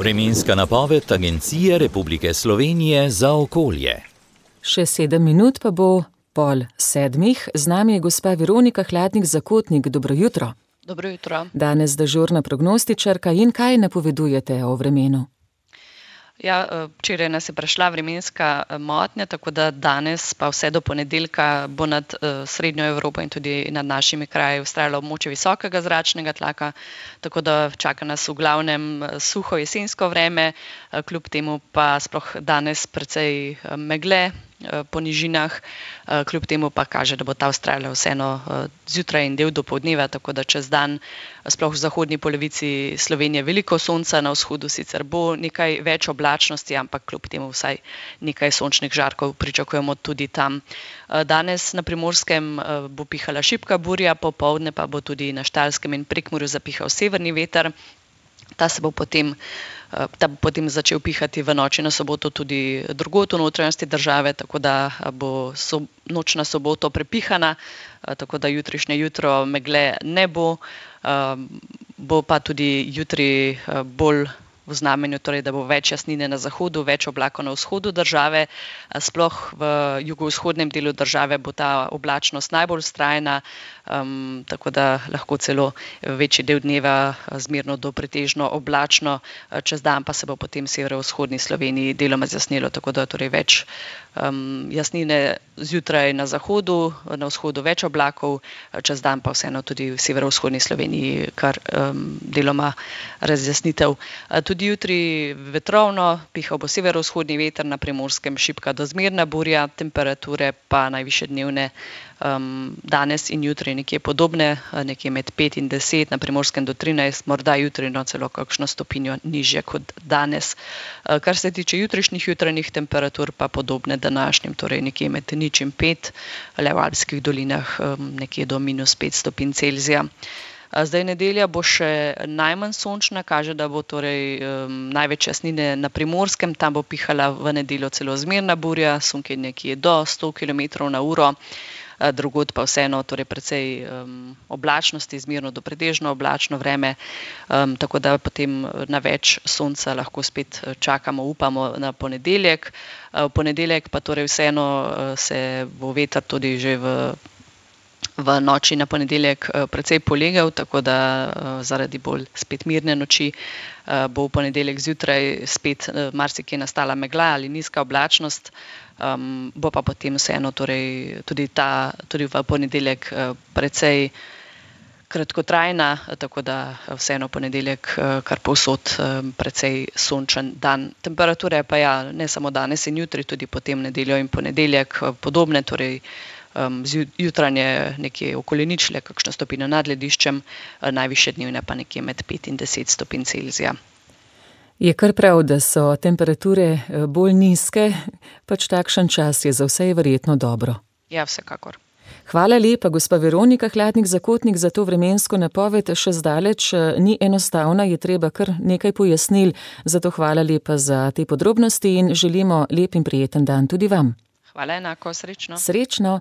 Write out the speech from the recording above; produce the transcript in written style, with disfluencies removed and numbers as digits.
Vremenska napoved Agencije Republike Slovenije za okolje. Še 7 minut pa bo 6:30. Z nami je gospa Veronika Hladnik-Zakotnik. Dobro jutro. Dobro jutro. Danes dežurna prognostičarka in kaj napovedujete o vremenu? Ja, včeraj nas je prešla vremenska motnja, tako da danes pa vse do ponedeljka bo nad srednjo Evropo in tudi nad našimi kraji vztrajalo območje visokega zračnega tlaka, tako da čaka nas v glavnem suho jesensko vreme, kljub temu pa sploh danes precej megle po nižinah, kljub temu pa kaže, da bo ta vztrajala vseeno zjutraj in del dopoldneva, tako da čez dan sploh v zahodni polovici Slovenije veliko sonca, na vzhodu sicer bo nekaj več oblačnosti, ampak kljub temu vsaj nekaj sončnih žarkov pričakujemo tudi tam. Danes na Primorskem bo pihala šibka burja, popoldne pa bo tudi na Štajerskem in Prekmurju zapihal severni veter. Ta bo potem začel pihati v noči na soboto tudi drugod v notranjosti države, tako da bo noč na soboto prepihana, tako da jutrišnje jutro megle ne bo. Bo pa tudi jutri bolj v znamenju, torej da bo več jasnine na zahodu, več oblakov na vzhodu države. Sploh v jugovzhodnem delu države bo ta oblačnost najbolj vztrajna, tako da lahko celo večji del dneva zmerno do pretežno oblačno, čez dan pa se bo potem v severovzhodni Sloveniji deloma zjasnilo, tako da torej več jasnine zjutraj na zahodu, na vzhodu več oblakov, čez dan pa vseeno tudi v severovzhodni Sloveniji kar deloma razjasnitev. Tudi jutri vetrovno, pihal bo severovzhodni veter, na Primorskem šibka do zmerna burja, temperature pa najvišje dnevne danes in jutri nekje podobne, nekje med 5 in 10, na Primorskem do 13, morda jutri celo kakšno stopinjo nižje kot danes. Kar se tiče jutrišnjih jutranjih temperatur, pa podobne današnjim, torej nekje med 0 in 5, le v Alpskih dolinah nekje do -5 stopinj Celzija. Zdaj nedelja bo še najmanj sončna, kaže, da bo torej največ jasnine na Primorskem, tam bo pihala v nedeljo celo zmerna burja, sunki nekje do 100 km/h, drugod pa vseeno torej precej oblačnosti, zmerno do pretežno oblačno vreme, tako da potem na več sonca lahko spet čakamo, upamo na ponedeljek. V ponedeljek pa torej vseeno se bo veter tudi že v noči na ponedeljek precej polegel, tako da zaradi bolj spet mirne noči bo v ponedeljek zjutraj spet marsikje nastala megla ali nizka oblačnost, bo pa potem vseeno torej tudi v ponedeljek precej kratkotrajna, tako da vseeno ponedeljek kar povsod precej sončen dan. Temperature pa ja, ne samo danes in jutri, tudi potem nedeljo in ponedeljek podobne, torej jutranje nekje okoli ničle, kakšno stopinjo nad lediščem, najvišje dnevne pa nekje med 5 in 10 stopinj Celzija. Je kar prav, da so temperature bolj nizke, pač takšen čas je za vse je verjetno dobro. Ja, vsekakor. Hvala lepa, gospa Veronika Hladnik-Zakotnik, za to vremensko napoved. Še zdaleč ni enostavna, je treba kar nekaj pojasnil, zato hvala lepa za te podrobnosti in želimo lep in prijeten dan tudi vam. Hvala enako, srečno. Srečno.